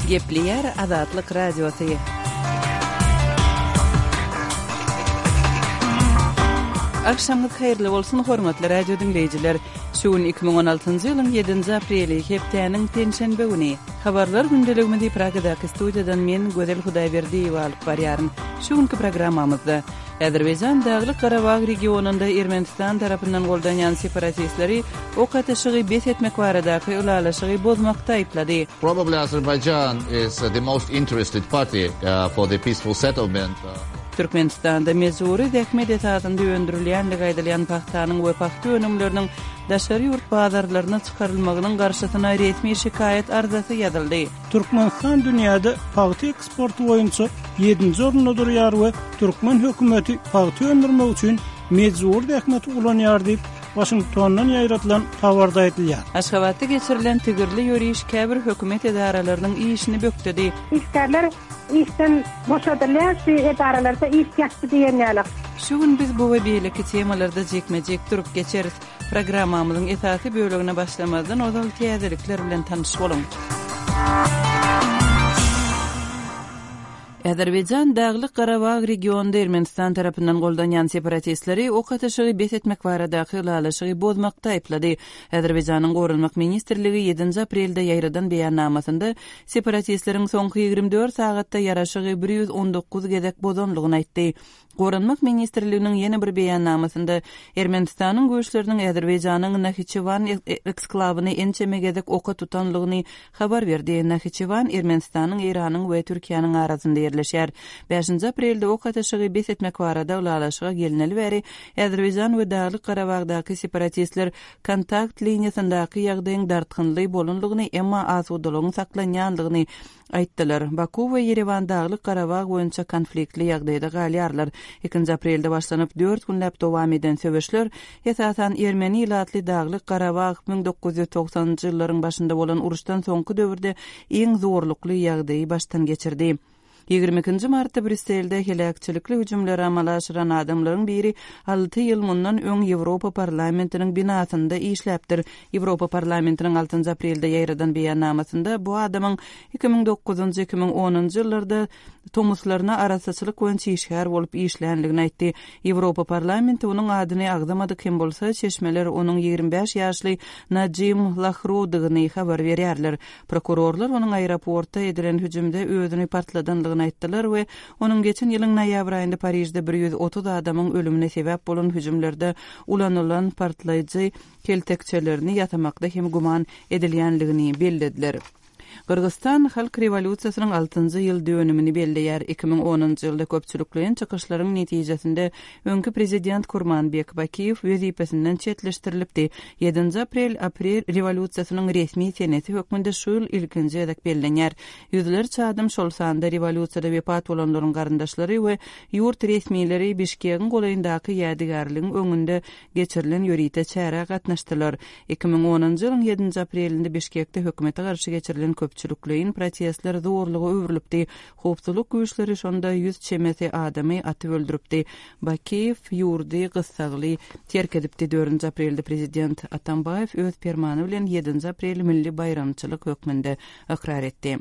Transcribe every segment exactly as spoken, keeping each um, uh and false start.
Gepleýär Azatlyk Radiosy. Agşamyňyz haýyrly bolsun, hormatly radio diňleýjiler! Şu gün iki müň on altynjy ýylyň ýedinji apreli, hepdäniň penşenbe güni. Habarlar gündeligimizi Pragadaky studiýadan men, Gözel Hudaýberdiýewa alyp barýaryn. Şu günki programmamyzda, Azerbaýjan Daglyk-Garabag regionynda Ermenistan tarapyndan goldanýan separatistleri ok atyşygy bes etmek baradaky ylalaşygy bozmakda aýyplady. Probably Azerbaijan is the most interested party for the peaceful settlement. Türkmenistanda mejbury zähmet esasynda öndürilýändigi aýdylýan pagtanyň we pagta önümleriniň daşary ýurt bazarlaryna çykarylmagynyň garşysyna resmi şikaýat arzasy ýazyldy. Türkmenistan dünýäde pagta eksporty boýunça ýedinji orunda durýar we türkmen hökümeti pagta öndürmek üçin mejbury zähmeti ulanýar diýip, Waşingtondan ýaýradylan habarda aýdylýar. Aşgabatda geçirilen tigirli ýöriş käbir hökümet edaralarynyň işini bökdedi. Işgärler işden boşadylýar, şu edaralarda iş ýatdy diýen ýaly. Şu gün biz bu we beýleki temalarda jikme-jik durup geçeris. Programmamyzyň esasy bölegine başlamazdan ozal täzelikler bilen tanyş boluň. Azerbaýjan Daglyk-Garabag regionynda Ermenistan tarapyndan goldanýan separatistleri ok atyşygy bes etmek baradaky ylalaşygy bozmakda aýyplady. Azerbaýjanyň Goranmak ministrligi ýedinji aprelde ýaýradan beýannamasynda separatistleriň soňky ýigrimi dört sagatda ýaraşygy bir ýüz on dokuz gezek bozanlygyny aýtdy. Goranmak ministrliginiň ýene bir beýannamasynda Ermenistanyň güýçleriniň Azerbaýjanyň Nahiçewan eksklawyny ençeme gezek oka tutanlygyny habar berdi. Nahiçewan Ermenistanyň, Eýranyň we Türkiýäniň arasynda ýerleşýär. Bäşinji aprelde ok atyşygy bes etmek barada ylalaşyga gelneli bäri Azerbaýjan we Daglyk-Garabagdaky separatistler kontakt liniýasyndaky ýagdaýyň dartgynly bolanlygyny, emma asudalygyň saklanýanlygyny aýtdylar. Baku we Ýerewan Daglyk-Garabag boýunça konfliktli ýagdaýda galýarlar. Ikinji aprelde başlanyp, dört günläp dowam eden söweşler, esasan ermeni ilatly Daglyk-Garabag müň dokuz ýüz togsanynjy ýyllaryň başynda bolan uruşdan soňky döwürde iň zorlukly ýagdaýy başdan geçirdi. Ýigrimi ikinji martda Brýusselde heläkçilikli hüjümleri amala aşyran adamlaryň biri alty ýyl mundan öň Ýewropa Parlamentiniň binasynda işläpdir. Ýewropa Parlamentiniň altynjy aprelde ýaýradan beýannamasynda bu adamyň iki müň dokuzynjy, iki müň onunjy ýyllarda tomuslaryna arassaçylyk boýunça işgär bolup işlänligini aýtdy. Ýewropa Parlamenti onuň adyny agzamadyk hem bolsa, çeşmeler onuň ýigrimi bäş ýaşly Najim Lahrudygyny habar berýärler. Prokurorlar onuň aeroportda edilen hüjümde özüni partladanlygyny aýtdylar we onuň geçen ýylyň noýabr aýynda Parižde bir ýüz otuz adamyň ölümine sebäp bolan hüjümlerde ulanylan partlaýjy keltekçelerini ýasamakda hem güman edilýänligini bellediler. Gyrgyzstan halk rewolýusiýasynyň altynjy ýyl dönümini belleýär. Iki müň onunjy ýylda köpçülikleýin çykyşlaryň netijesinde öňki prezident Kurmanbek Bakiýew wezipesinden çetleşdirilipdi. Ýedinji aprel aprel rewolýusiýasynyň resmi senesi hökmünde şu ýyl ilkinji gezek bellenýär. Ýüzlerçe adam, şol sanda rewolýusiýada wepat bolanlaryň garyndaşlary we ýurt resmileri Bişkegiň golaýyndaky ýadygärligiň öňünde geçirilen ýörite çärä gatnaşdylar. Iki müň onunjy ýylyň ýedinji aprelinde Bişkekde hökümete garşy geçirilen köpçülikleýin protestler zorluga öwrülipdi. Howpsuzlyk güýçleri şonda ýüz çemesi adamy atyp öldüripdi. Bakiýew ýurdy gyssagly terk edipdi. Dördünji aprelde prezident Atambaýew öz permany bilen ýedinji apreli milli baýramçylyk hökmünde ykrar etdi.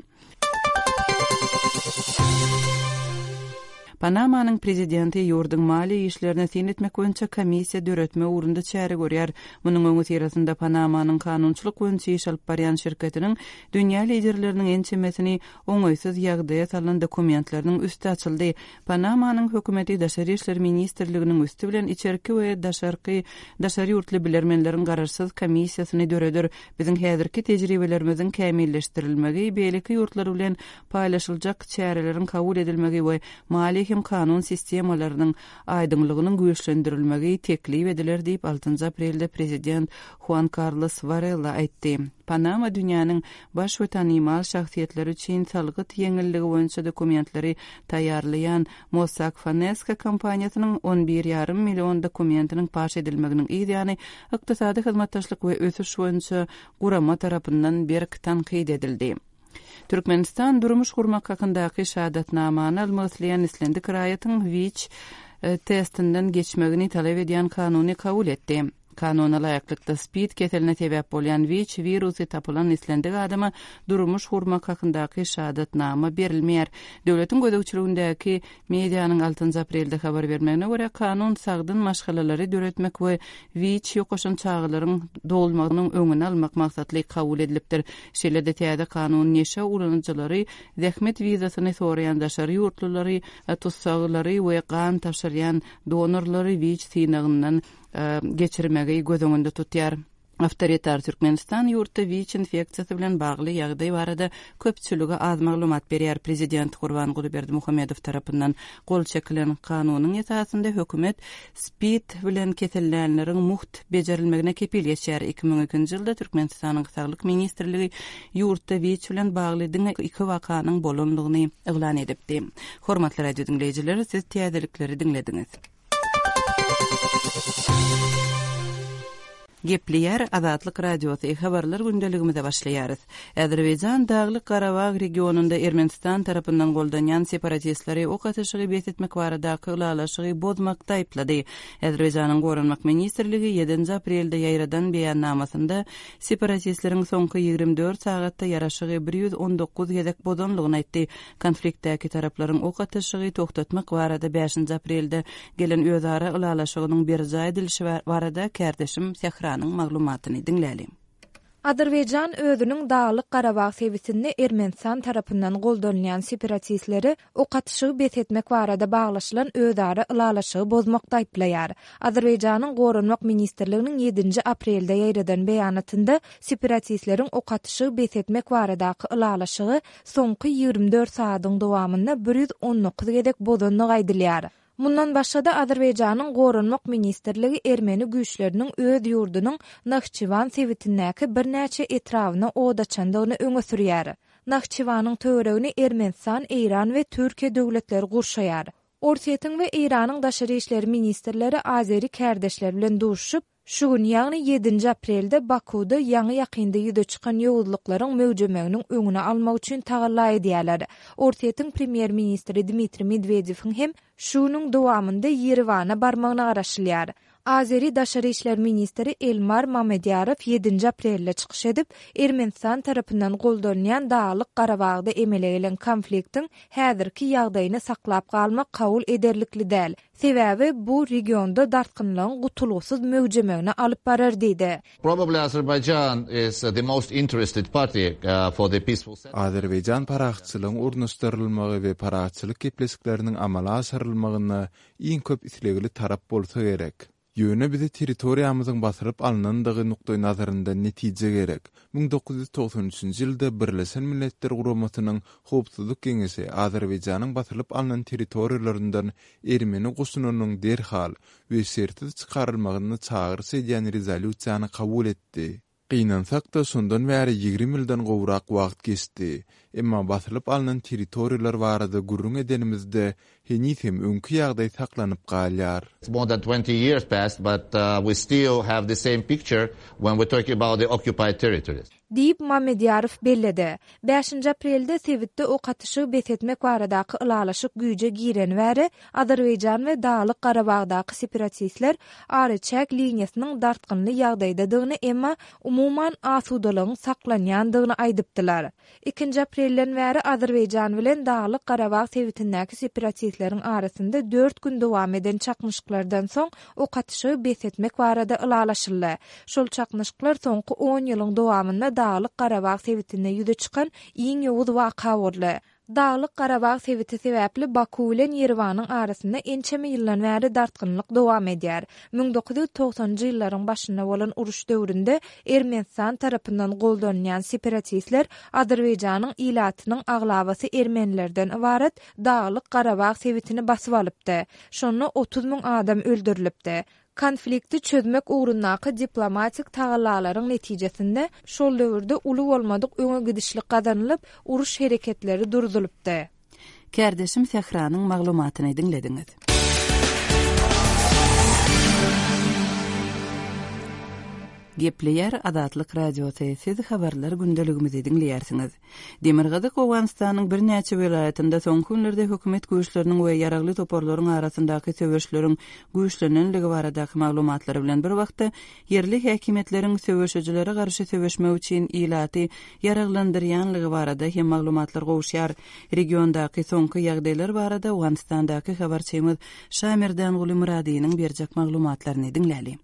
Panamanyň prezidenti ýurduň maliýe işlerine syn etmek boýunça komissiýa döretme ugrunda çäre görýär. Munuň öňüsyrasynda Panamanyň kanunçylyk boýunça iş alyp barýan şirketiniň dünýä liderleriniň ençemesini oňaýsyz ýagdaýa salan dokumentleriniň üsti açyldy. Panamanyň hökümeti Daşary işler ministrliginiň üsti bilen içerki we daşarky daşary ýurtly bilermenleriň garaşsyz komissiýasyny döreder. Biziň häzirki tejribelerimiziň kämilleşdirilmegi, beýleki ýurtlar bilen paýlaşyljak çäreleriň kabul edilmegi we maliýe hem kanun sistemalarynyň aýdyňlygynyň güýçlendirilmegi teklip ediler diýip, altynjy aprelde prezident Huan Karlos Warela aýtdy. Panama dünýäniň baş we tanymal şahsyýetleri üçin salgyt ýeňilligi boýunça dokumentleri taýýarlaýan Mossack Fonseca kompaniýasynyň on bir ýarym million dokumentiniň paş edilmeginiň yz ýany ykdysady hyzmatdaşlyk we ösüş boýunça gurama tarapyndan berk tankyt edildi. Türkmenistan durmuş gurmak hakyndaky şahadatnamany almak isleýän islendik raýatyň WIÇ, e, testinden geçmegini talap edýän kanuny kabul etdi. Kanuna laýyklykda SPID keseline sebäp bolýan WIÇ wirusy tapylan islendik adama durmuş gurmak hakyndaky şahadatnama berilmeýär. Döwletiň gözegçiligindäki medianyň altynjy aprelde habar bermegine görä, kanun sagdyn maşgalalary döretmek we WIÇ ýokaşan çagalaryň dogulmagynyň öňüni almak maksatly kabul edilipdir. Şeýle-de täze kanun neşe ulanyjylary, zähmet wizasyny soraýan daşary ýurtlulary, tussaglary we gan tabşyrýan donorlary WIÇ synagyndan geçirmegi göz öňünde tutýar. Awtoritar Türkmenistan ýurtda WIÇ infeksiýasy bilen bagly ýagdaý barada köpçülige az maglumat berýär. Prezident Gurbanguly Berdimuhamedow tarapyndan gol çekilen kanunyň esasynda hökümet SPID bilen kesellänleriň mugt bejerilmegine kepil geçýär. Iki müň ikinji ýylda Türkmenistanyň Saglyk ministrligi ýurtda WIÇ bilen bagly diňe iki wakanyň bolandygyny yglan edipdi. Hormatly radio diňleýjiler, siz täzelikleri diňlediňiz. Gepleýär Azatlyk Radiosy, habarlar gündeligimize başlaýarys. Azerbaýjan Daglyk Garabag regionynda Ermenistan tarapyndan goldanýan separatistleri ok atyşygy bes etmek baradaky ylalaşygy bozmakda aýyplady. Azerbaýjanyň Goranmak ministrligi ýedinji aprelde ýaýradan beýannamasynda separatistleriň soňky ýigrimi dört sagatda ýaraşygy bir ýüz on dokuz gezek bozanlygyny aýtdy. Konfliktdäki taraplaryň ok atyşygy togtatmak barada bäşinji aprelde gelen özara ylalaşygynyň berjaý edilişi barada kärdeşim Sähranyň maglumatyny diňläliň. Azerbaýjan özüniň Daglyk Garabag sebitinde Ermenistan tarapyndan goldanylýan separatistleri ok atyşygy bes etmek barada baglaşylan özara ylalaşygy bozmakda aýyplaýar. Azerbaýjanyň Goranmak ministrliginiň ýedinji aprelde ýaýradan beýanatynda separatistleriň ok atyşygy bes etmek baradaky ylalaşygy soňky ýigrimi dört sagadyň dowamynda bir ýüz on dokuz gezek bozandygy aýdylýar. Mundan başga-da Azerbaýjanyň Goranmak ministrligi ermeni güýçleriniň öz ýurdunyň Nahçywan sebitindäki birnäçe etrabyna od açandygyny öňe sürýär. Nahçywanyň töweregini Ermenistan, Eýran we Türkiýe döwletleri gurşaýar. Orsýetiň we Eýranyň daşary işler ministrleri Azeri kärdeşler bilen duşuşyp, şu gün, ýagny ýedinji aprelde Bakuda ýaňy ýakynda ýüze çykan ýowuzlyklaryň möwjemeginiň öňüni almak üçin tagalla edýärler. Orsýetiň premýer-ministri Dmitriý Medwedewiň hem şu günüň dowamynda Ýerewana barmagyna garaşylýar. Azeri daşary işler ministri Elmar Mamedýarow ýedinji aprelde çykyş edip, Ermenistan tarapyndan goldanylýan Daglyk Garabagda emele gelen konfliktiň häzirki ýagdaýyny saklap galmak kabul ederlikli däl. Sebäbi bu regionda dartgynlygyň gutulgysyz möwjemegine alyp barar diýdi. Probably Azerbaijan is the most interested party, uh, for the peaceful settlement. Azerbaýjan parahatçylygyň ornaşdyrylmagy we parahatçylyk gepleşikleriniň amala aşyrylmagyna iň köp islegli tarap bolsa gerek. Ýöne bize territoriýamyzyň basyryp alnandygy nukdaý nazaryndan netije gerek. Müň dokuz ýüz togsan üçünji ýylda Birleşen Milletler Guramasynyň Howpsuzlyk Geňeşi Azerbaýjanyň basyryp alnan territoriýalaryndan ermeni goşunynyň derhal we şertsiz çykarylmagyny çagyryş edýän rezolýusiýany kabul etdi. Gynansak-da şondan bäri ýigrimi ýyldan gowrak wagt geçdi. Emma basylyp alnan territoriýalar barada gürrüň edenimizde heniz hem öňki ýagdaý saklanyp galýar. It's more than twenty years passed, but, uh, we still have the same picture when we talk about the occupied territories. Diýip Mamedýarow belledi. Bäşinji aprelde sebitde ok atyşygy bes etmek baradaky ylalaşyk güýje gireni bäri Azerbaýjan we Daglyk Garabagdaky separatistler araçäk liniýasynyň dartgynly ýagdaýdadygyny, emma umuman asudalygyň saklanýandygyny aýdypdylar. Ikinji aprelden bäri Azerbaýjan bilen Daglyk Garabag sebitindäki separatistleriň arasynda dört gün dowam eden çaknyşyklardan soň ok atyşygy bes etmek barada ylalaşyldy. Şol çaknyşyklar soňky on ýylyň dowamynda Daglyk Garabag sebitinde ýüze çykan iň ýowuz waka boldy. Daglyk Garabag sebiti sebäpli Baku bilen Ýerewanyň arasynda ençeme ýyldan bäri dartgynlyk dowam edýär. Müň dokuz ýüz togsanjy ýyllaryň başynda bolan uruş döwründe Ermenistan tarapyndan goldanylýan separatistler Azerbaýjanyň ilatynyň aglabasy ermenilerden ybarat Daglyk Garabag sebitini basyp alypdy. Şonda otuz müň adam öldürilipdi. Konflikti çözmek ugrundaky diplomatik tagallalaryň netijesinde şol döwürde uly bolmadyk öňe gidişlik gazanylyp, uruş hereketleri durdulypdy. Kärdeşim Sähranyň maglumatyny diňlediňiz. Gepleýär Azatlyk Radiosy, siz habarlar gündeligimizi diňleýärsiňiz. Demirgazyk Owganystanyň birnäçe welaýatynda soňky günlerde hökümet güýçleriniň we ýaragly toparlaryň arasyndaky söweşleriň güýçlenenligi baradaky maglumatlary bilen bir wagtda ýerli häkimiýetleriň söweşijilere garşy söweşmek üçin ilaty ýaraglandyrýanlygy barada hem maglumatlar gowuşýar. Regiondaky soňky ýagdaýlar barada Owganystandaky habarçymyz Şamerdanguly Myradynyň berjek maglumatlaryny diňläli.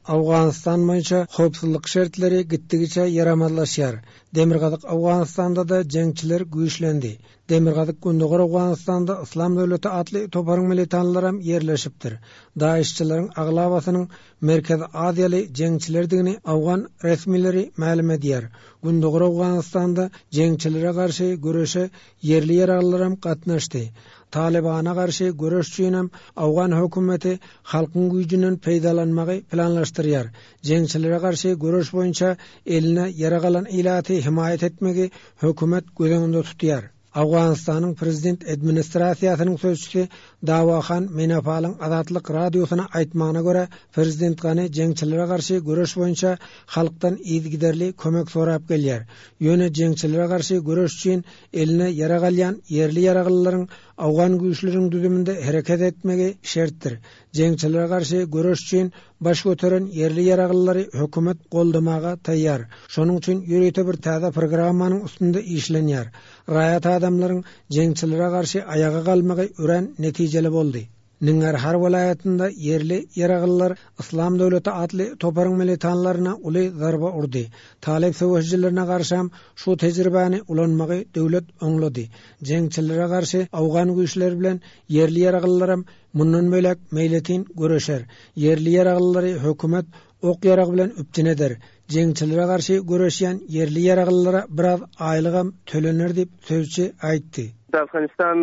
Owganystan boýunça howpsuzlyk şertleri gitdigiçe ýaramazlaşýar. Demirgazyk Owganystanda-da jeňçiler güýçlendi. Demirgazyk Gündogar Owganystanda Yslam döwleti atly toparyň militanlaram ýerleşipdir. DAEŞ-çileriň aglabasynyň Merkezi Aziýaly jeňçilerdigini owgan resmileri mälim edýär. Gündogar Owganystanda jeňçilere garşy göreşe ýerli ýaraglylaram gatnaşdy. Talibana garşy göreş üçinem owgan hökümeti halkyň güýjünden peýdalanmagy planlaşdyrýar. Jeňçilere garşy göreş boýunça eline ýarag alan ilaty himaýat etmegi hökümet göz öňünde tutýar. Owganystanyň prezident administrasiýasynyň sözçüsi Dawahan Menapalyň Azatlyk radiosyna aýtmagyna görä, prezident Gani jeňçilere garşy göreş boýunça halkdan yzygiderli kömek sorap gelýär. Ýöne jeňçilere garşy göreş üçin eline ýarag alýan ýerli ýaraglylaryň owgan güýçleriniň düzüminde hereket etmegi şertdir. Jeňçilere garşy göreş üçin baş göteren ýerli ýaraglylary hökümet goldamaga taýýar. Şonuň üçin ýörite bir täze programmanyň üstünde işlenýär. Raýat adamlaryň jeňçilere garşy aýaga galmagy örän netijeli boldy. Ningarhar welaýatynda ýerli ýaraglylar Yslam döwleti atly toparyň militanlaryna uly zarba urdy. Talip söweşijilerine garşam şu tejribäni ulanmagy döwlet oňlady. Jeňçilere garşy owgan güýçleri bilen ýerli ýaraglylaram mundan bölek meýletin göreşer. Ýerli ýaraglylary hökümet ok ýarag bilen üpjün eder. Jeňçilere garşy göreşýän ýerli ýaraglylara biraz aýlygam tölener diýip sözçi aýtdy. د افغانستان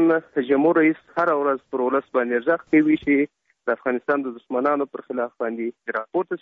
جمهور رئیس هره ورځ پر ولس باندې غږ کوي چې د افغانستان د دښمنانو پر خلاف باندې راپورته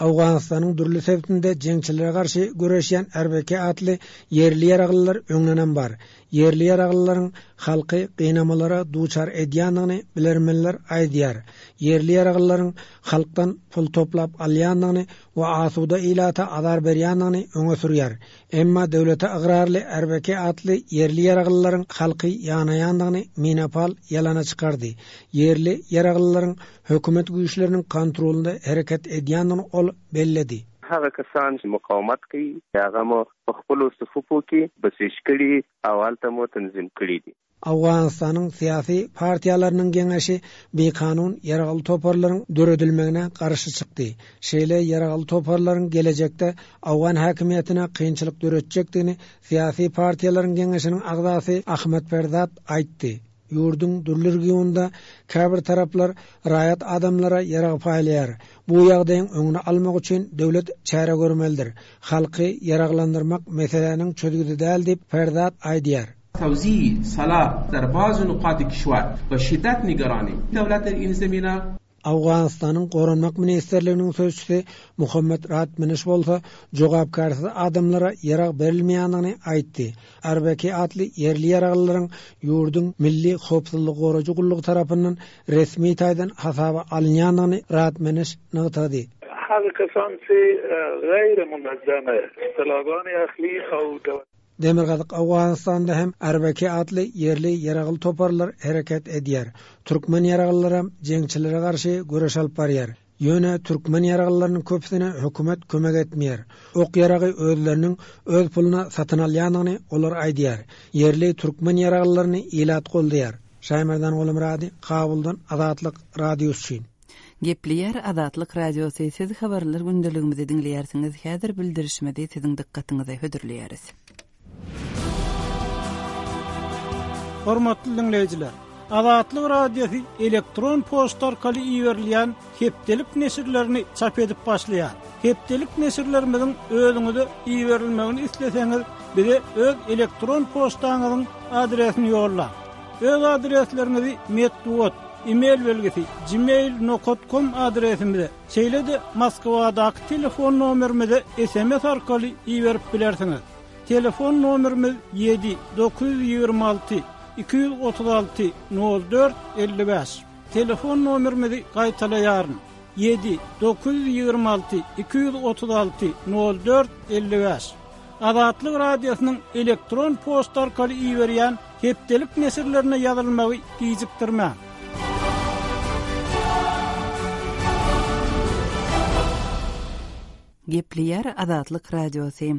Owganystanyň dürli sebitinde jeňçilere garşy göreşýän R B K atly ýerli ýaraglylar öňlenem bar. Ýerli ýaraglylaryň halky gynamalara duçar edýändigini bilermenler aýdýar. Ýerli ýaraglylaryň halkdan pul toplap alýandygyny we asuda ilata azar berýändigini öňe sürýär. Emma döwlete ygrarly R B K atly ýerli ýaraglylaryň halky ýanaýandygyny Minapal ýalana çykardy. Ýerli ýaraglylaryň hökümet güýçleriniň kontrolunda hereket edýändigini ol belledi. هغه کسان چې مقاومت کوي هغه مو په خپلو صفوفو کې بسیج کړي او هلته مو تنظیم کړي دي. Owganystanyň syýasy partiýalarynyň geňeşi bikanun ýaragly toparlaryň döredilmegine garşy çykdy. Şeýle ýaragly toparlaryň gelejekde owgan häkimiýetine kynçylyk döretjekdigini syýasy partiýalaryň geňeşiniň agzasy Ahmet Ferzat aýtdy. Ýurduň dürli regionda käbir taraplar raýat adamlara ýarag paýlaýar. Bu ýagdaýyň öňüni almak üçin döwlet çäre görmelidir. Halky ýaraglandyrmak meseläniň çözgüdi däl diýip Ferzat aýdýar. توزیع سلاح در بعض نقاط کشور با شدت نگرانیم. دولت در این زمینه Owganystanyň Goranmak Ministrliginiň sözçüsi Muhammed Ratmeniş bolsa jogapkarsyz adamlara ýarag berilmeýändigini aýtdy. R B K atly ýerli ýaraglylaryň ýurduň Milli Howpsuzlyk Goraýjy gullugy tarapyndan resmi taýdan hasaba alynýandygyny Ratmeniş nygtady. هغه کسان چې غیر منظمه اصطلاحګانې اخلي او Demirgazyk Owganystanda hem R B K atly ýerli ýaragly toparlar hereket edýär. Türkmen ýaraglylaram jeňçilere garşy göreş alyp barýar. Ýöne türkmen ýaraglylarynyň köpüsine hökümet kömek etmeýär. Ok ýaragy özleriniň öz puluna satyn alýandygyny olar aýdýar. Ýerli türkmen ýaraglylaryny ilat goldaýar. Şaýmerdan Gulmurady, Kabuldan Azatlyk Radiosy üçin. Gepleýär Azatlyk Radiosy, siz habarlar gündeligimizi diňleýärsiňiz. Häzir bildirişmedi siziň dykgatyňyza hödürleýäris. Hormatly dinleýjiler, Azatlyk Radiosy elektron poçta arkaly iberilýän hepdelik neşirlerini çap edip başlaýar. Hepdelik neşirlerimiziň özüňize iberilmegini isleseňiz, bize öz elektron poçtaňyzyň adresini ýollaň. Öz adresleriňizi metbugat, e-mail belgisi gmail nokta com adresimize, şeýle-de Moskwadaky telefon nomerimize S M S arkaly iberip bilersiňiz. Telefon nomerimiz ýedi dokuz ýüz ýigrimi alty iki ýüz otuz alty nol dört elli bäş. Telefon nomerimizi gaýtalaýaryn. Ýedi, dokuz ýüz ýigrimi alty, iki ýüz otuz alty, nol dört, elli bäş. Azatlyk Radiosynyň elektron poçta arkaly iberýän hepdelik neşirlerine ýazylmagy gijikdirmäň. Gepleýär Azatlyk Radiosy.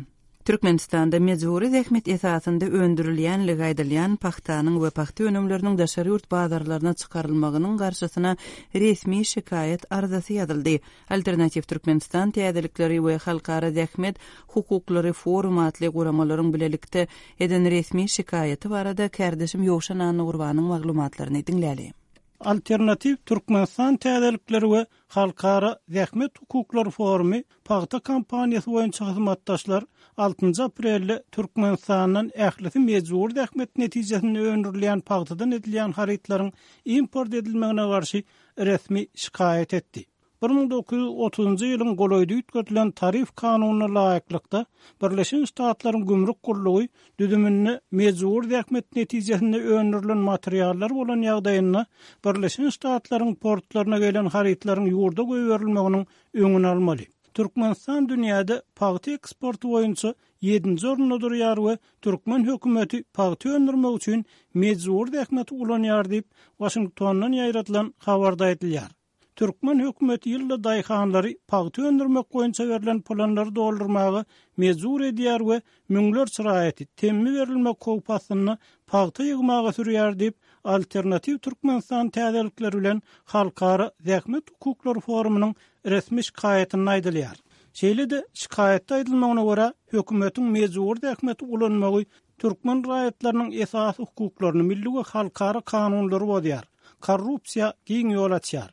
Türkmenistanda mejbury zähmet esasynda öndürilýänligi aýdylýan pagtanyň we pagta önümleriniň daşary ýurt bazarlaryna çykarylmagynyň garşysyna resmi şikaýat arzasy ýazyldy. Alternatiw Türkmenistan täzelikleri we Halkara zähmet hukuklary forumy atly guramalaryň bilelikde eden resmi şikaýaty barada kärdeşim Ýowşan Annagurbanyň maglumatlaryny diňläli. Alternatiw Türkmenistan täzelikleri we Halkara zähmet hukuklary forumy pagta kampaniýasy boýunça hyzmatdaşlar altynjy aprelde Türkmenistandan ählisi mejbury zähmet netijesinde öndürilýän pagtadan edilýän harytlaryň import edilmegine garşy resmi şikaýat etdi. Bir müň dokuz ýüz otuzynjy ýylyň golaýda üýtgedilen tarif kanunyna laýyklykda, Birleşen Ştatlaryň gümrük gullugy düzüminde mejbury zähmet netijesinde öndürilen materiallar bolan ýagdaýynda Birleşen Ştatlaryň portlaryna gelen harytlaryň ýurda goýberilmeginiň öňüni almaly. Türkmenistan dünýäde pagta eksporty boýunça ýedinji orunda durýar we türkmen hökümeti pagta öndürmek üçin mejbury zähmeti ulanýar diýip, Waşingtondan ýaýradylan habarda aýdylýar. Türkmen hökümeti ýylda daýhanlary pagta öndürmek boýunça berlen planlary doldurmaga mejbur edýär we müňlerçe raýaty temmi berilmek howpy astynda pagta ýygmaga sürýär diýip, Alternatiw Türkmenistan täzelikleri bilen Halkara zähmet hukuklary forumynyň resmi şikaýatynda aýdylýar. Şeýle-de, şikaýatda aýdylmagyna görä, hökümetiň mejbury zähmeti ulanmagy türkmen raýatlarynyň esasy hukuklaryny, milli we halkara kanunlary bozýar, korrupsiýa giň ýol açýar.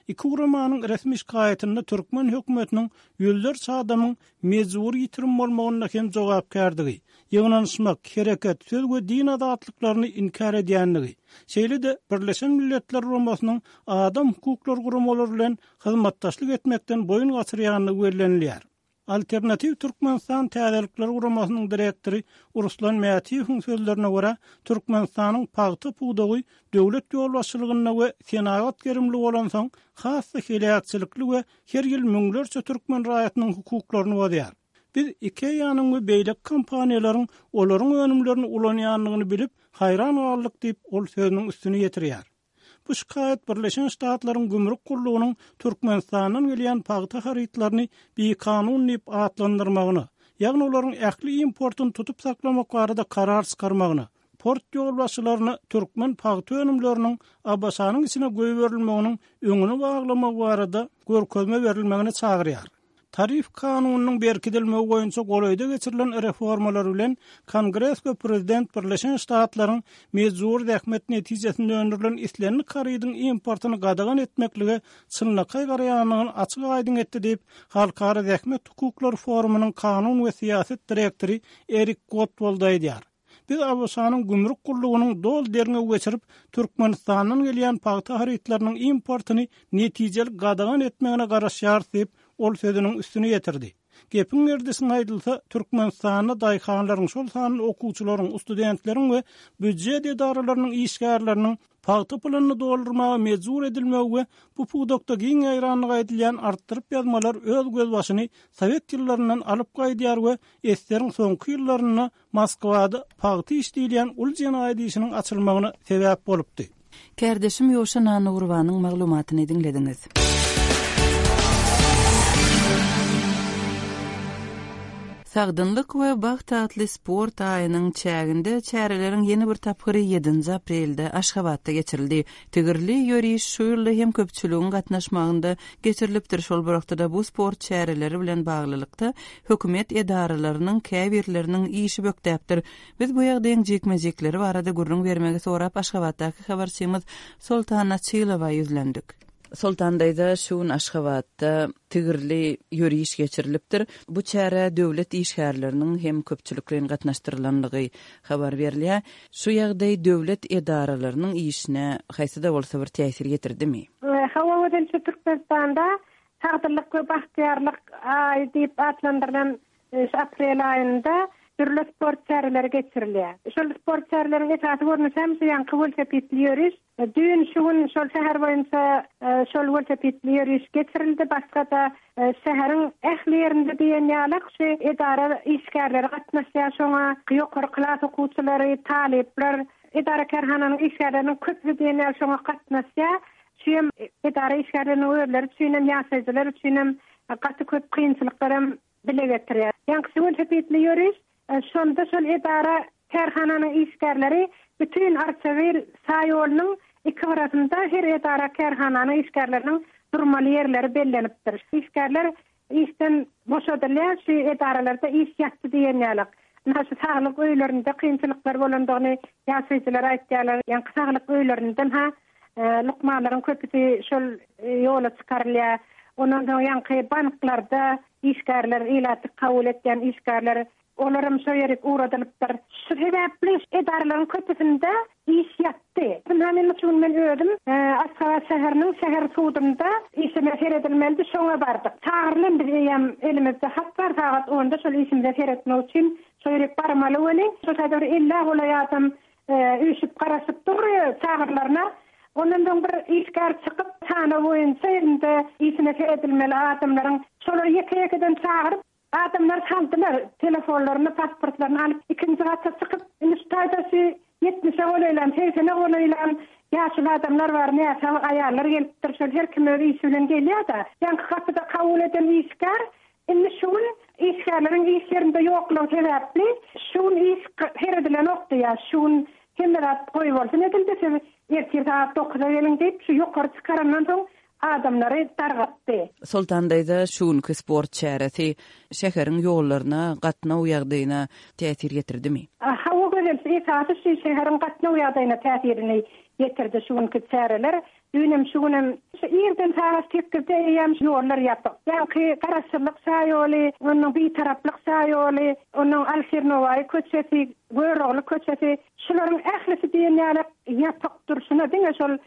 Iki guramanyň resmi şikaýatynda türkmen hökümetiniň ýüzlerçe adamyň mejbury ýitirim bolmagynda hem jogapkärdigi, ýygnanyşmak, hereket, söz we din azatlyklaryny inkär edýändigi, şeýle-de Birleşen Milletler Guramasynyň adam hukuklary guramalary bilen hyzmatdaşlyk etmekden boýun gaçyrýandygy bellenilýär. Alternatiw Türkmenistan täzelikler guramasynyň direktory Ruslan Mätiýewiň sözlerine görä, Türkmenistanyň pagta pudagy döwlet ýolbaşçylygynda we senagat gerimli bolansoň has-da heläkçilikli we her ýyl müňlerçe türkmen raýatynyň hukuklaryny bozýar. Biz IKEA-nyň we beýleki kompaniýalaryň olaryň önümlerini ulanýandygyny bilip, haýran galdyk diýip, ol sözüniň üstüni ýetirýär. Bu şikaýat Birleşen Ştatlaryň gümrük gullugynyň Türkmenistandan gelýän pagta harytlaryny bikanun diýip atlandyrmagyna, ýagny olaryň ähli importyny tutup saklamak barada karar çykarmagyna, port ýolbaşçylaryna türkmen pagta önümleriniň ABŞ-nyň içine goýberilmeginiň öňüni baglamagy barada görkezme berilmegine çagyrýar. Tarif kanunynyň berkidilmegi boýunça golaýda geçirilen reformalar bilen Kongres we Prezident Birleşen Ştatlaryň mejbury zähmet netijesinde öndürilen islendik harydyň importyny gadagan etmeklige çynlakaý garaýandygyny açyk-aýdyň etdi diýip, Halkara zähmet hukuklary forumynyň kanun we syýasat direktory Erik Gottwald aýdýar. Biz ABŞ-nyň gümrük gullugynyň doly derňew geçirip, Türkmenistandan gelýän pagta harytlarynyň importyny netijeli gadagan etmegine garaşýarys diýip, ol sözüniň üstüni ýetirdi. Gepiň gerdişine aýdylsa, Türkmenistanda daýhanlaryň, şol sanda okuwçylaryň, studentleriň we býujet edaralarynyň işgärleriniň pagta puluny doldurmaga mejbur edilmegi we bu pudakda giň ýaýranlygy aýdylýan artdyryp ýazmalar öz gözbaşyny sowet ýyllaryndan alyp gaýdýar we eseriň soňky ýyllarynda Moskwada pagta iş diýilýän uly jenaýat işiniň açylmagyna sebäp bolupdy. Kärdeşim Ýowşan Annagurbanyň maglumatyny diňlediňiz. Sagdynlyk we bagt atly sport aýynyň çäginde çäreleriň ýene bir tapgyry ýedinji aprelde Aşgabatda geçirildi. Tigirli ýöriş şu ýylda hem köpçüligiň gatnaşmagynda geçirilipdir. Şol bir wagtda-da bu sport çäreleri bilen baglylykda hökümet edaralarynyň käbirleriniň işi bökdäpdir. Biz bu ýagdaýyň jikme-jikleri barada gürrüň bermegi sorap Aşgabatdaky habarçymyz Soltan Açylowa ýüzlendik. Soltan daýza, şu gün Aşgabatda tigirli ýöriş geçirilipdir. Bu çärä döwlet işgärleriniň hem köpçülikleýin gatnaşdyrylanlygy habar berilýär. Şu ýagdaý döwlet edaralarynyň işine haýsy-da bolsa bir täsir ýetirdimi? Hawa, özençe Türkmenistanda Sagdynlyk we bagtyýarlyk aýy diýip atlandyrylan şu aprel aýynda Dürli sport çäreleri geçirilýär. Şol sport çäreleriniň esasy görnüşi hem şu ýanky welosipedli ýöriş. Düýn şu gün şol şäher boýunça şol welosipedli ýöriş geçirildi. Başga-da şäheriň ähli ýerinde diýen ýaly şu edara işgärleri gatnaşýar. Şoňa ýokary klas okuwçylary, talyplar, edara kärhananyň işgärleriniň köpüsi diýen ýaly şoňa gatnaşýar. Şu hem edara işgärleriniň özleri üçin hem, ýaşaýjylar üçin hem gaty köp kynçylyklar hem bile getirýär. Ýaňky welosipedli ýöriş, şonda şol edara kärhananyň işgärleri bütün Arçabil şaýolunyň iki gyrasynda her edara kärhananyň işgärleriniň durmaly ýerleri bellenipdir. Işgärler işden boşadylýar, şu edaralarda iş ýatdy diýen ýaly. Ynha şu saglyk öýlerinde kynçylyklar bolandygyny ýaşaýjylar aýtýarlar. Ýaňky saglyk öýlerinden ha lukmanlaryň köpüsi şol ýola çykarylýar. Ondan soň ýaňky banklarda işgärler, ilaty kabul etýän işgärler, olaram şo ýere ugradylypdyr. Şu sebäpli edaralaryň köpüsinde iş ýatdy. Ynha men şu gün men özüm Aşgabat şäheriniň şäher sudunda işime seredilmelidi, şoňa bardyk. Çagyrylan biz eýýäm elimizde hat bar, sagat onda şol işimize seretmek üçin şo ýere barmaly weli. Şo taýda bir elli golaý adam üýşüp garaşyp dur çagyrlaryna. Ondan soň bir işgär çykyp, sanaw boýunça elinde işine seredilmeli adamlaryň şolary ýeke-ýekeden çagyryp, adamlar saldylar, telefonlaryny, pasportlaryny alyp, ikinji gata çykyp, indi şu taýda şu ýetmişe golaýlan, segsene golaýlan ýaşuly adamlar bar, näsag aýallar gelipdir, şol her kim öz işi bilen gelýär-de. Ýaňky gapyda kabul eden işgär, indi şu gün işgärleriň iş ýerinde ýoklugy sebäpli, şu gün iş seredilenokdy ýa, şu gün hemme zat goý bolsun edildi, siz ertir saat dokuza geliň diýip, şu ýokary çykarandan soň adamlary dargatdy. Soltan daýza, şu günki sport çäresi şäheriň ýollaryna, gatnaw ýagdaýyna täsir ýetirdimi? Hawa gözel, esasy şu şäheriň gatnaw ýagdaýyna täsirini ýetirdi şu günki çäreler. Düýnem şu günem şu irden sagat sekizde eýýäm ýollar ýapyk. Ýaňky Garaşsyzlyk şaýoly, onuň Bitaraplyk şaýoly, onuň Alşir Nowaýy köçesi, Görogly köçesi, şularyň ählisi diýen ýaly ýapyk durşuna diňe şol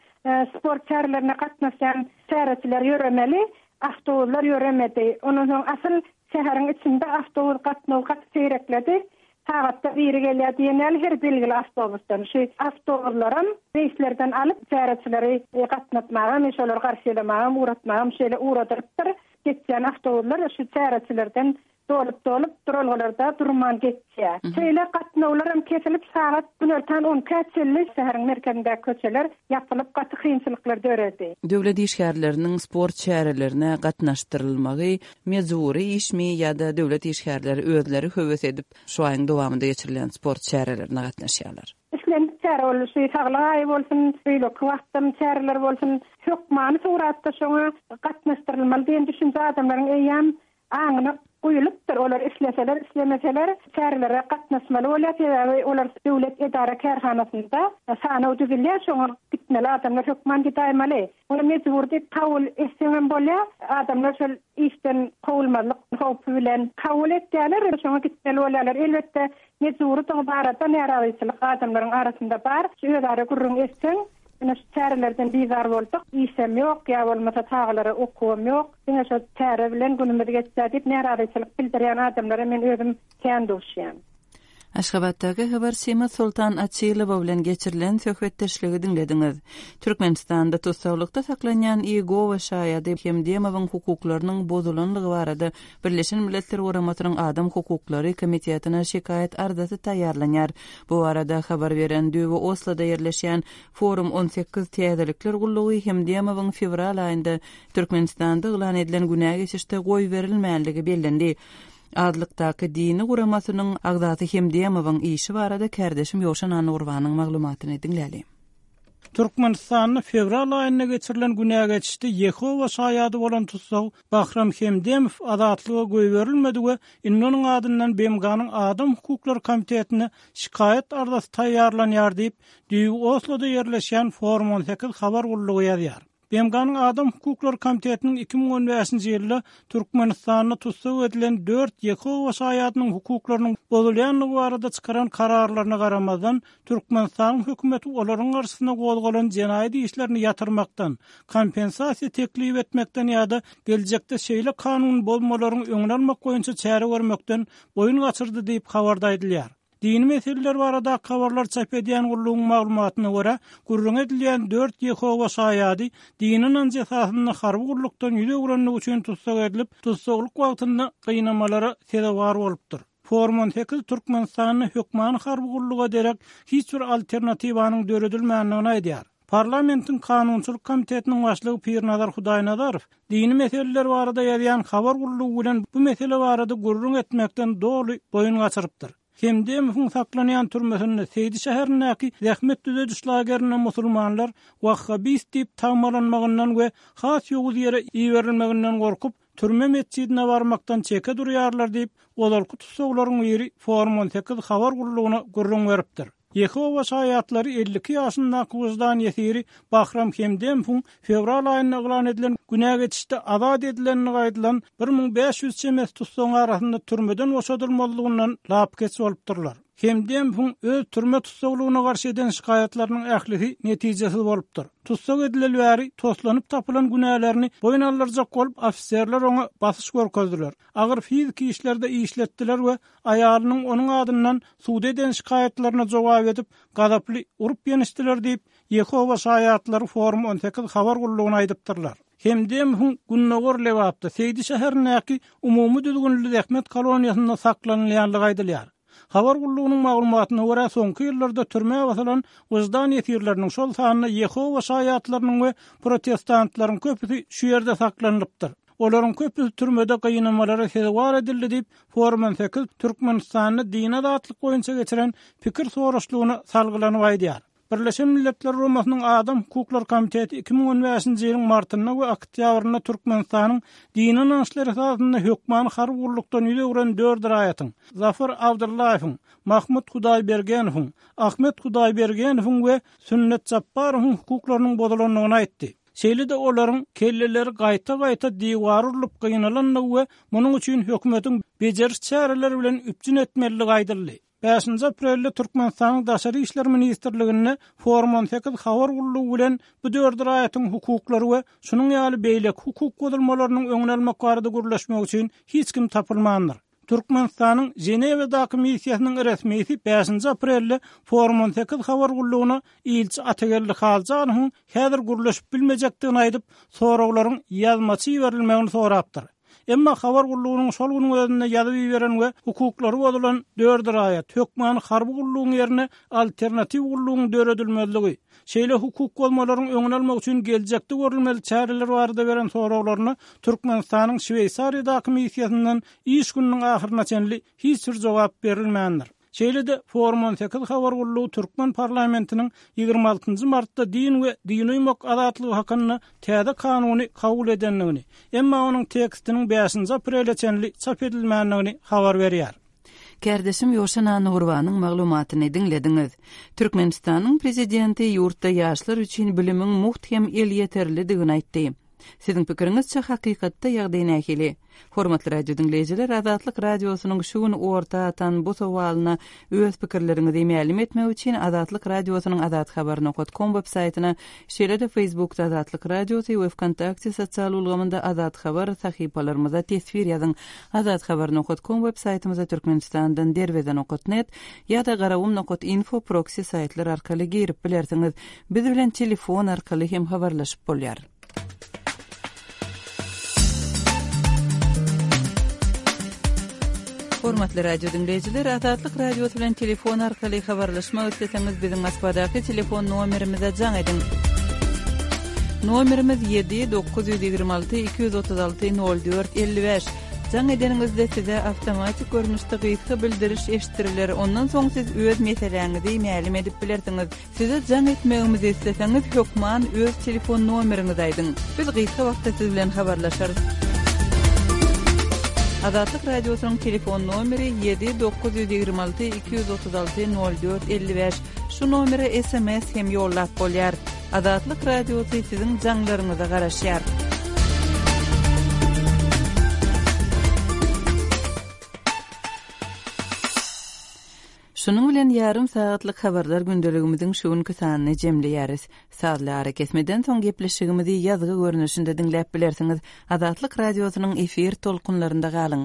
sport çärelerine gatnaşýan çäreçiler ýöremeli, awtobuslar ýöremedi. Ondan soň asyl şäheriň içinde awtobus gatnawy gaty seýrekledi. Sagatda biri gelýär diýen ýaly her belgili awtobusdan. Şu awtobuslaram reýslerden alyp çäreçileri gatnatmaga, men şolary garşylamaga, ugratmaga şeýle ugradyrypdyr. Geçýän awtobuslar şu çäreçilerden dolup-dolup duralgalarda durman geçýär. Şeýle gatnawlar hem kesilip sagat günortan on iki çenli şäheriň merkezindäki köçeler ýapylyp gaty kynçylyklar döredi. Döwlet işgärleriniň sport çärelerine gatnaşdyrylmagy mejbury işmi ýa-da döwlet işgärleri özleri höwes edip şu aýyň dowamynda geçirilýän sport çärelerine gatnaşýarlar? Islendik çäre bolsun, şu saglyk aýy bolsun, beýleki wagtdan çäreler bolsun, hökmany suratda şoňa gatnaşdyrylmaly diýen düşünje adamlaryň eýýäm aňyna guýulypdyr. Olar isleseler, islemeseler çärelere gatnaşmaly bolýar. Sebäbi olar döwlet edara kärhanasynda sanaw düzülýär, şoňa gitmeli adamlar hökman gidäýmeli. Ony mejbur diýip kabul etseňem bolýar. Adamlar şol işden kowulmazlyk howpy bilen kabul etýärler, şoňa gitmeli bolýarlar. Elbetde mejburydygy barada närazyçylyk adamlaryň arasynda bar. Şu özara gürrüň etseň, ine şu çärelerden bizar bolduk, işem ýok, ýa bolmasa çagalara okuwam ýok. Diňe şo çäre bilen günümiz geçýär diýip närazyçylyk bildirýän adamlara men özüm kän duşýan. Aşgabatdaky habarçymyz Soltan Açylowa bilen geçirilen söhbetdeşligi diňlediňiz. Türkmenistanda tussaglykda saklanýan Iýegowa şaýady Hemdemowyň hukuklarynyň bozulanlygy barada Birleşen Milletler Guramasynyň Adam Hukuklary Komitetine şikaýat arzasy taýýarlanýar. Bu barada habar beren Düwe Osloda ýerleşýän Forum on sekiz täzelikler gullugy Hemdemowyň fewral aýynda Türkmenistanda yglan edilen günä geçişde goý berilmänligi bellendi. Azlykdaky dini guramasynyň agzasy Hemdemowyň işi barada kärdeşim Ýowşan Annurbanyň maglumatyny diňläli. Türkmenistanda fewral aýynda geçirilen günä geçişde Ýehowa şaýady bolan tussag Bahram Hemdemow azatlyga goýberilmedi we indi onuň adyndan B M G-nyň Adam Hukuklary Komitetine şikaýat arzasy taýýarlanýar diýip, Düýbi Osloda ýerleşýän Forum on sekiz habar gullugy ýazýar. B B M G-nyň Adam hukuklary komitetiniň iki müň on bäşinji ýylda Türkmenistanda tussag edilen dört Ýehowa şaýadynyň hukuklarynyň bozulýandygy barada çykaran kararlaryna garamazdan, Türkmenistanyň hökümeti olaryň garşysyna gozgalan jenaýat işlerini ýatyrmakdan, kompensasiýa teklip etmekden ýa-da geljekde şeýle kanun bozmalaryň öňüni almak boýunça çäre görmekden boýun gaçyrdy diýip, habarda aýdylýar. Dini meseleler baradaky habarlar çap edýän gullugyň maglumatyna görä, gürrüňi edilýän dört Ýehowa şaýady dini ynanjy esasynda harby gullukdan ýüz öwrenligi üçin tussag edilip, tussaglyk wagtynda gynamalara sezewar bolupdyr. Forum on sekiz Türkmenistanda hökmany harby gulluga derek hiç bir alternatiwanyň döredilmändigini aýdýar. Parlamentiň kanunçylyk komitetiniň başlygy Pirnazar Hudaýnazarow dini meseleler barada ýazýan habar gullugy bilen bu mesele barada gürrüň etmekden doly boýun gaçyrypdyr. Hemdemowyň saklanýan türmesinde Seýdi şäherindäki zähmet düzediş lagerinde musulmanlar wahhabist diýip tagmalanmagyndan we has ýowuz ýere iberilmeginden gorkup, türme metjidine barmakdan çeke durýarlar diýip, ozalky tussaglaryň biri Forum on sekiz habar gullugyna gürrüň beripdir. Ýehowa şaýatlary elli iki ýaşyndaky wyždan ýesiri Bahram Hemdemowyň fewral aýynda yglan edilen günä geçişde azat edilenligi aýdylan bir müň bäş ýüz çemesi tussagyň arasynda türmeden boşadylmalydygyndan lapykeç bolupdyrlar. Hemdemowyň öz türme tussaglygyna garşy eden şikaýatlarynyň ählisi netijesiz bolupdyr. Tussag edileli bäri toslanyp tapylan günälerini boýun aldyrjak bolup ofiserler oňa basyş görkezdiler. Agyr fiziki işlerde işletdiler we aýalynyň onuň adyndan suda eden şikaýatlaryna jogap edip, gazaply urup ýenişdiler diýip, Ýehowa şaýatlary Forum on sekiz habar gullugyna aýdypdyrlar. Hemdemowyň Gündogar Lebapda Seýdi şäherindäki umumy düzgünli zähmet koloniýasynda saklanylýanlygy aýdylýar. Habar gullugynyň maglumatyna görä, soňky ýyllarda türmä basylan wyždan ýesirleriniň, şol sanda Ýehowa şaýatlarynyň we protestantlaryň köpüsi şu ýerde saklanylypdyr. Olaryň köpüsi türmede gynamalara sezewar edildi diýip, Forum on sekiz Türkmenistanda dini azatlyk boýunça geçiren pikir soraşlygyna salgylanyp aýdýar. Birleşen Milletler Guramasynyň Adam hukuklary komiteti iki müň on bäşinji ýylyň martynda we oktýabrynda Türkmenistanyň dini ynançlar esasynda hökmany harby gullukdan ýüz öwren dört raýatyň, Zafar Abdullaýewiň, Mahmut Hudaýbergenowyň, Ahmet Hudaýbergenowyň we Sünnet Japbarowyň hukuklarynyň bozulandygyny aýtdy. Şeýle-de olaryň kelleleri gaýta-gaýta diwar urlup gynalandygy we munuň üçin hökümetiň bejeriş çäreleri bilen üpjün etmelidigi aýdyldy. Bäşinji aprelde Türkmenistanyň Daşary işler ministrliginde Forum on sekiz habar gullugy bilen bu dört raýatyň hukuklary we şunuň ýaly beýleki hukuk bozulmalarynyň öňüni almak barada gürleşmek üçin hiç kim tapylmandyr. Türkmenistanyň Ženewadaky missiýasynyň resmisi bäşinji aprelde Forum on sekiz habar gullugyna ilçi Atageldi Haljanowyň häzir gürleşip bilmejekdigini aýdyp, soraglaryň ýazmaça iberilmegini sorapdyr. Emma habar gullugynyň şol günüň özünde ýazyp iberen we hukuklary bozulan dört raýat hökmany harby gullugyň ýerine alternatiw gullugyň döredilmezligi, şeýle hukuk bozmalaryň öňüni almak üçin geljekde görülmeli çäreler barada beren soraglaryna Türkmenistanyň Şweýsariýadaky missiýasyndan iş gününiň ahyryna çenli hiç bir jogap berilmändir. Şeýle-de Forum on sekiz habar gullugy Türkmen parlamentiniň ýigrimi altynjy martda din we dini uýmak azatlygy hakynda täze kanuny kabul edendigini, emma onuň tekstiniň bäşinji aprele çenli çap edilmändigini habar berýär. Kärdeşim Ýowşan Annagurbanyň maglumatyny diňlediňiz. Türkmenistanyň prezidenti ýurtda ýaşlar üçin bilimiň mugt hem elýeterlidigini aýtdy. Siziň pikiriňizçe hakykatda ýagdaý nähili? Hormatly radio diňleýjiler, Azatlyk radiosynyň şu gün orta atan bu sowalyna öz pikirleriňizi mälim etmek üçin Azatlyk radiosynyň azathabar nokta com web saýtyna, şeýle-de Facebookda Azatlyk radiosy we Vkontakte sosial ulgamynda Azat Habar sahypalarymyza teswir ýazyň. Azathabar nokta com web saýtymyza Türkmenistandan derweze nokta net ýa-da garawum nokta info proxy saýtlar arkaly girip bilersiňiz. Biz bilen telefon arkaly hem habarlaşyp bolýar. Hormatly radio diňleýjiler, Azatlyk radiosy bilen telefon arkaly habarlaşmak isleseňiz, biziň Moskwadaky telefon nomerimize jaň ediň. Nomerimiz ýedi dokuz ýüz ýigrimi alty iki ýüz otuz alty nol dört elli bäş. Jaň edeniňizde size awtomatik görnüşde gysga bildiriş eşitdiriler. Ondan soň siz öz meseläňizi mälim edip bilersiňiz. Size jaň etmegimizi isleseňiz, hökman öz telefon nomeriňizi aýdyň. Biz gysga wagtda siz bilen habarlaşarys. Azatlyk radiosynyň telefon nomeri ýedi dokuz ýüz ýigrimi alty iki ýüz otuz alty nol dört elli bäş. Şu nomere S M S hem ýollap bolýar. Azatlyk Radiosy siziň jaňlaryňyza garaşýar. Şunuň bilen ýarym sagatlyk habarlar gündeligimiziň şu günki sanyny jemleýäris. Sazly arakesmeden soň gepleşigimizi ýazgy görnüşinde diňläp bilersiňiz. Azatlyk Radiosynyň efir tolkunlarynda galyň.